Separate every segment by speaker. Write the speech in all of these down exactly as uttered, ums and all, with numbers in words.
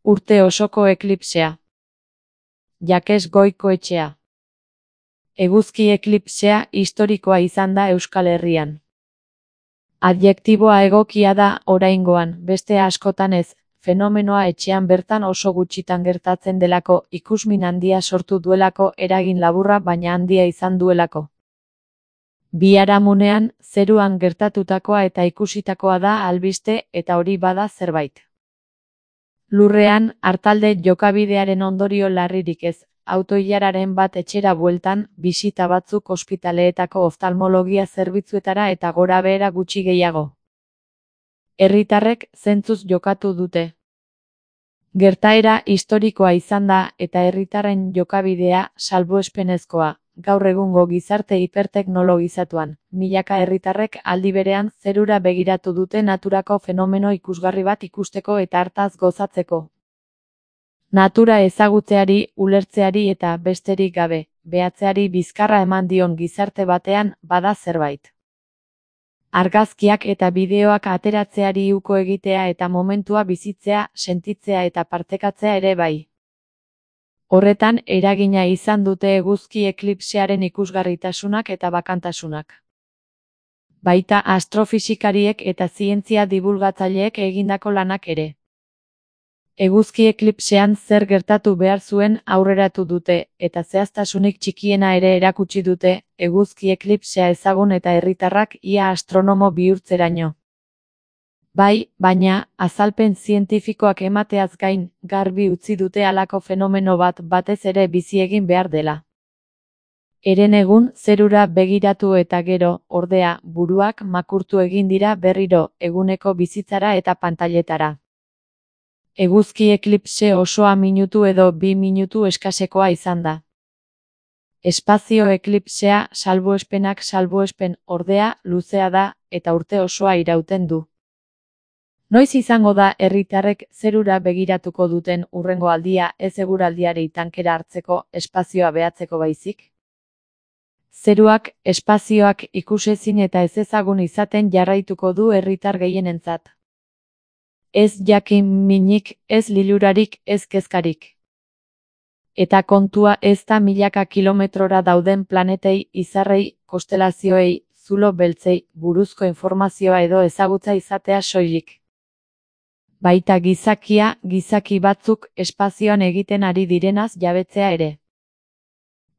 Speaker 1: Urte osoko eklipsea. Jakes Goikoetxea. Eguzki eklipsea historikoa izan da Euskal Herrian. Adjektiboa egokia da oraingoan, beste askotan ez, fenomenoa etxean bertan oso gutxitan gertatzen delako, ikusmin handia sortu duelako, eragin laburra baina handia izan duelako. Biharamunean, zeruan gertatutakoa eta ikusitakoa da albiste eta hori bada zerbait. Lurrean, artalde jokabidearen ondorio larririk ez, autoilararen bat etxera bueltan, bisita batzuk ospitaleetako oftalmologia zerbitzuetara eta gorabehera gutxi gehiago. Herritarrek zentzuz jokatu dute. Gertaera historikoa izan da eta herritarren jokabidea salbuespenezkoa. Gaur egungo gizarte hiperteknologizatuan, milaka herritarrek aldi berean zerura begiratu dute naturako fenomeno ikusgarri bat ikusteko eta hartaz gozatzeko. Natura ezagutzeari, ulertzeari eta besterik gabe, behatzeari bizkarra eman dion gizarte batean bada zerbait. Argazkiak eta bideoak ateratzeari uko egitea eta momentua bizitzea, sentitzea eta partekatzea ere bai. Horretan eragina izan dute eguzki eklipsearen ikusgarritasunak eta bakantasunak. Baita astrofisikariek eta zientzia dibulgatzaileek egindako lanak ere. Eguzki eklipsean zer gertatu behar zuen aurreratu dute, eta zehaztasunik txikiena ere erakutsi dute, eguzki eklipsea ezagun eta herritarrak ia astronomo bihurtzeraino. Bai, baina, azalpen zientifikoak emateaz gain, garbi utzi dute halako fenomeno bat batez ere bizi egin behar dela. Heren egun, zerura begiratu eta gero, ordea, buruak makurtu egin dira berriro, eguneko bizitzara eta pantailetara. Eguzki eklipse osoa minutu edo bi minutu eskasekoa izan da. Espazio eklipsea, salbuespenak salbuespen, ordea, luzea da, eta urte osoa irauten du. Noiz izango da herritarrek zerura begiratuko duten hurrengo aldia ez eguraldiari tankera hartzeko, espazioa behatzeko baizik? Zeruak, espazioak ikusezin eta ezezagun izaten jarraituko du herritar gehienentzat. Ez jakin minik, ez lilurarik, ez kezkarik. Eta kontua ez da milaka kilometrora dauden planetei, izarrei, konstelazioei, zulo beltzei, buruzko informazioa edo ezagutza izatea soilik. Baita gizakia, gizaki batzuk espazioan egiten ari direnaz jabetzea ere.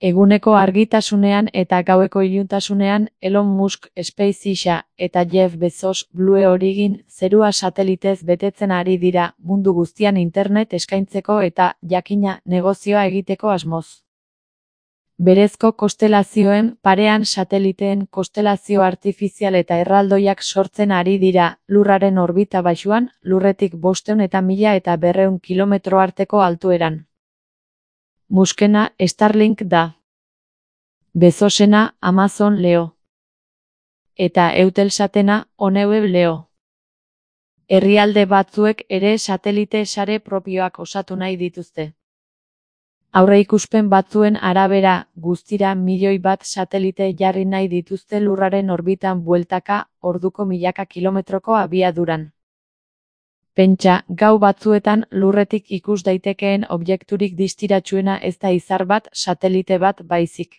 Speaker 1: Eguneko argitasunean eta gaueko iluntasunean Elon Musk SpaceXa eta Jeff Bezos Blue Origin zerua satelitez betetzen ari dira mundu guztian internet eskaintzeko eta, jakina, negozioa egiteko asmoz. Berezko konstelazioen parean sateliteen konstelazio artifizial eta erraldoiak sortzen ari dira, lurraren orbita baxuan, lurretik bostehun eta mila eta berrehun kilometro arteko altueran. Muskena Starlink da. Bezosena Amazon Leo. Eta Eutelsatena OneWeb Leo. Herrialde batzuek ere satelite sare propioak osatu nahi dituzte. Aurreikuspen batzuen arabera, guztira milioi bat satelite jarri nahi dituzte lurraren orbitan bueltaka, orduko milaka kilometroko abiaduran. Pentsa, gau batzuetan lurretik ikus daitekeen objekturik distiratsuena ez da izar bat, satelite bat baizik.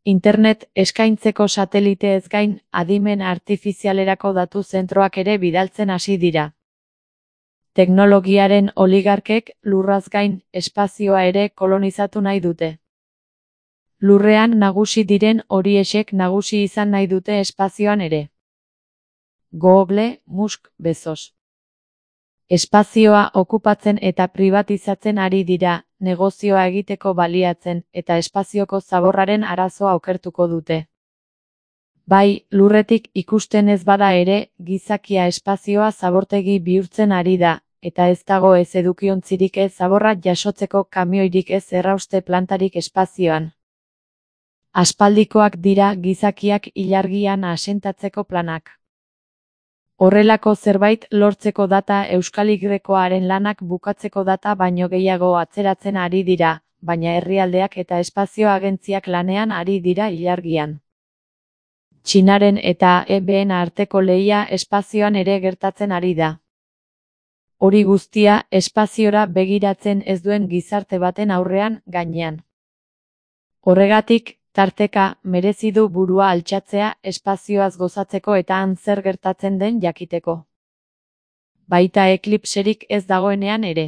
Speaker 1: Internet eskaintzeko satelite ez gain, adimen artifizialerako datu zentroak ere bidaltzen hasi dira. Teknologiaren oligarkek lurraz gain espazioa ere kolonizatu nahi dute. Lurrean nagusi diren horiexek nagusi izan nahi dute espazioan ere. Google, Musk, Bezos. Espazioa okupatzen eta pribatizatzen ari dira, negozioa egiteko baliatzen eta espazioko zaborraren arazoa okertuko dute. Bai, lurretik ikusten ez bada ere, gizakia espazioa zabortegi bihurtzen ari da, eta ez dago ez edukiontzirik ez zaborra jasotzeko kamioirik ez errauste plantarik espazioan. Aspaldikoak dira gizakiak ilargian asentatzeko planak. Horrelako zerbait lortzeko data Euskal Grekoaren lanak bukatzeko data baino gehiago atzeratzen ari dira, baina herrialdeak eta espazio agentziak lanean ari dira ilargian. Txinaren eta E B en arteko lehia espazioan ere gertatzen ari da. Hori guztia espaziora begiratzen ez duen gizarte baten aurrean gainean. Horregatik, tarteka, merezi du burua altxatzea espazioaz gozatzeko eta han zer gertatzen den jakiteko. Baita eklipserik ez dagoenean ere.